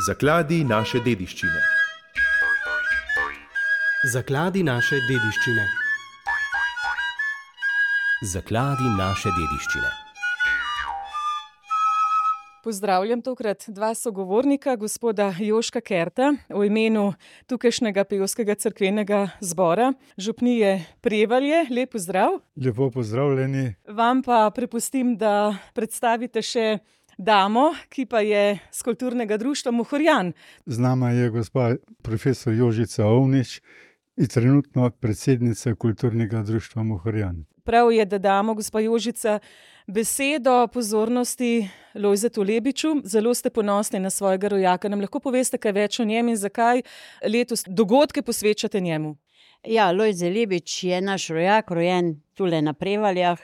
Zakladi naše dediščine. Zakladi naše dediščine. Zakladi naše dediščine. Pozdravljam tokrat dva sogovornika, gospoda Joška Kerta v imenu tukajšnjega pevskega cerkvenega zbora župnije Prevalje. Lep pozdrav. Lepo pozdravljeni. Vam pa prepustim, da predstavite še damo, ki pa je z kulturnega društva Mohorjan. Z nama je gospa profesor Jožica Ovnič in trenutno predsednica kulturnega društva Mohorjan. Prav je, da damo, gospa Jožica, besedo pozornosti Lojzetu Lebiču. Zelo ste ponosni na svojega rojaka. Nam lahko poveste kaj več o njem in zakaj letos dogodke posvečate njemu? Ja, Lojze Lebič je naš rojak, rojen tule na Prevaljah.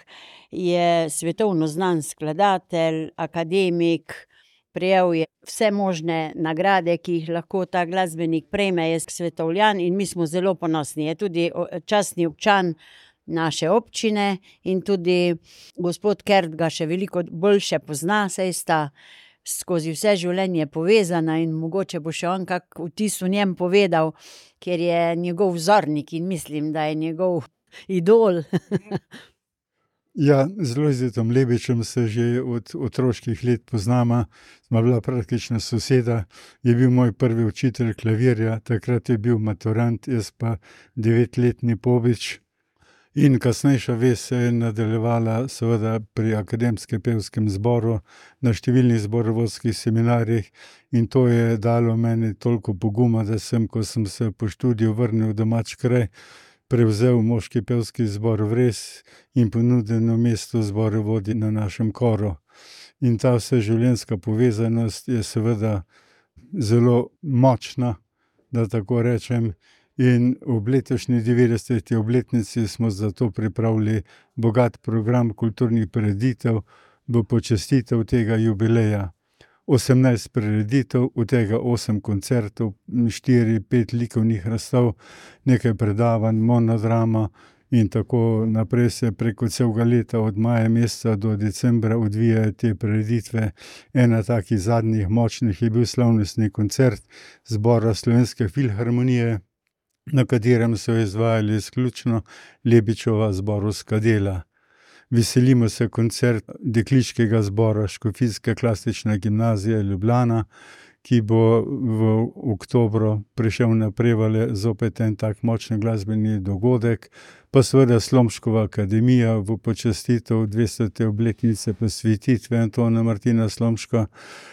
Je svetovno znan skladatelj, akademik, prejel je vse možne nagrade, ki jih lahko ta glasbenik prejme, je svetovljan in mi smo zelo ponosni. Je tudi častni občan naše občine in tudi gospod Kert ga še veliko boljše pozna, saj sta skozi vse življenje povezana in mogoče bo še on kak vtis v njem povedal, ker je njegov vzornik in mislim, da je njegov idol. Ja, z Lojzetom Lebičem se že od otroških let poznama, smo bila praktična soseda, je bil moj prvi učitelj klavirja, takrat je bil maturant, jaz pa 9-letni pobič. In kasnejša vez se je nadaljevala seveda pri akademskem pevskem zboru, na številnih zborovodskih seminarjih in to je dalo meni toliko poguma, da sem, ko sem se po študiju vrnil v domač kraj, prevzel moški pevski zbor Vres in ponudeno mesto zborovodi na našem koru. In ta vseživljenjska povezanost je seveda zelo močna, da tako rečem. In ob letošnji 90. obletnici smo zato pripravili bogat program kulturnih prireditev v počastitev tega jubileja. 18 prireditev, od tega 8 koncertov, 4-5 likovnih razstav, nekaj predavanj, monodrama in tako naprej se preko celega leta od maja meseca do decembra odvijajo te prireditve. Ena takih zadnjih močnih je bil slavnostni koncert zbora Slovenske filharmonije, na katerem so izvajali izključno Lebičeva zborovska dela. Veselimo se koncert dekliškega zbora Škofijske klasične gimnazije Ljubljana, ki bo v oktobru prišel na Prevalje, zopet en tak močen glasbeni dogodek, pa seveda Slomškova akademija v počastitev 200. obletnice posvetitve Antona Martina Slomška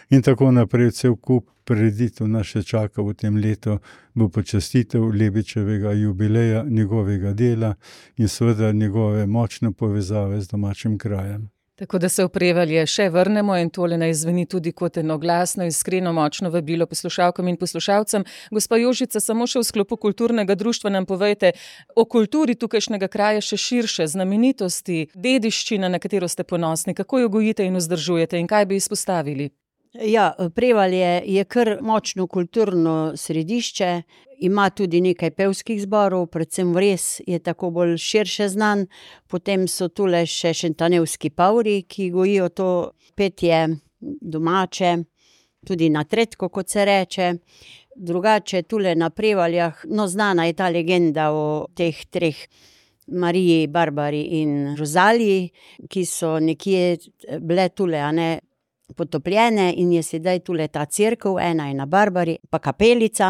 in tako naprej. Cel kup prireditev nas še čaka v tem letu v počastitev Lebičevega jubileja, njegovega dela in seveda njegove močne povezave z domačim krajem. Tako da se v Prevalje še vrnemo in tole naj zveni tudi kot eno glasno, iskreno, močno vabilo poslušalkam in poslušalcem. Gospa Jožica, samo še v sklopu kulturnega društva nam povejte o kulturi tukajšnjega kraja še širše, znamenitosti, dediščina, na katero ste ponosni, kako jo gojite in vzdržujete in kaj bi izpostavili? Ja, Prevalje je kar močno kulturno središče, ima tudi nekaj pevskih zborov, predvsem Vres je tako bolj širše znan, potem so tule še šentanevski pavri, ki gojijo to petje domače, tudi na Tretko, kot se reče. Drugače tule na Prevaljah, znana je ta legenda o teh treh, Mariji, Barbari in Rozaliji, ki so nekje bile tule, potopljene in je sedaj tule ta cerkev, ena je na Barbari, pa kapelica.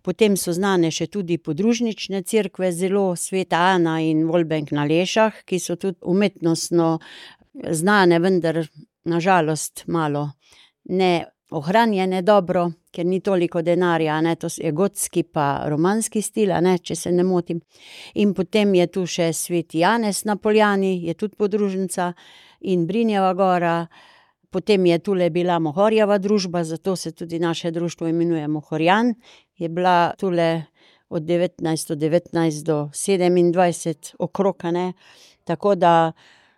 Potem so znane še tudi podružnične cerkve, zelo Sveta Ana in Volbenk na Lešah, ki so tudi umetnostno znane, vendar na žalost malo ne ohranjene dobro, ker ni toliko denarja, to je gotski pa romanski stil, če se ne motim. In potem je tu še Sveti Janez na Poljani, je tudi podružnica in Brinjeva gora. Potem je tule bila Mohorjeva družba, zato se tudi naše društvo imenuje Mohorjan. Je bila tule od 1919 do 27 okrog, Tako da,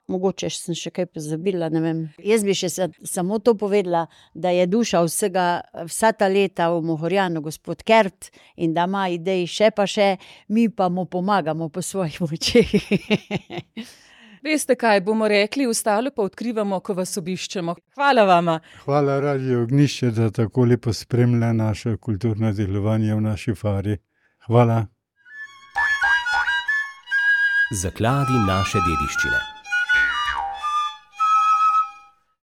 mogoče sem še kaj pozabila, ne vem. Jaz bi še samo to povedala, da je duša vsa ta leta v Mohorjanu gospod Kert in da ima idej še pa še, mi pa mu pomagamo po svojih močeh. Veste kaj, bomo rekli, ostalo pa odkrivamo, ko vas obiščemo. Hvala vama. Hvala Radio Ognjišče, da tako lepo spremlja naše kulturno delovanje v naši fari. Hvala. Zakladi naše dediščine.